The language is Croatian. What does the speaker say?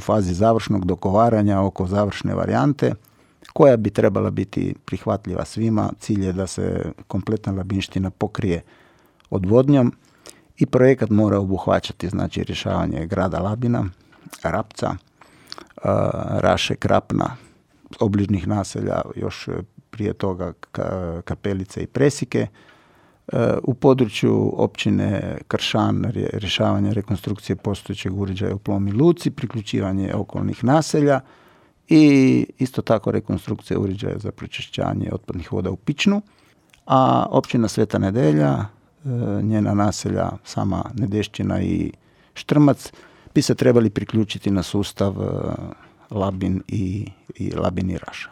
fazi završnog dogovaranja oko završne varijante koja bi trebala biti prihvatljiva svima. Cilj je da se kompletna Labinština pokrije odvodnjom i projekat mora obuhvaćati znači rješavanje grada Labina, Rapca, Raše, Krapna, obližnjih naselja, još prije toga Kapelice i Presike. U području općine Kršan rješavanje rekonstrukcije postojećeg uređaja u Plomi luci, priključivanje okolnih naselja i isto tako rekonstrukcija uređaja za pročišćavanje otpadnih voda u Pičnu. A općina Sveta Nedelja, njena naselja sama Nedešćina i Štrmac bi se trebali priključiti na sustav Labin i Raša.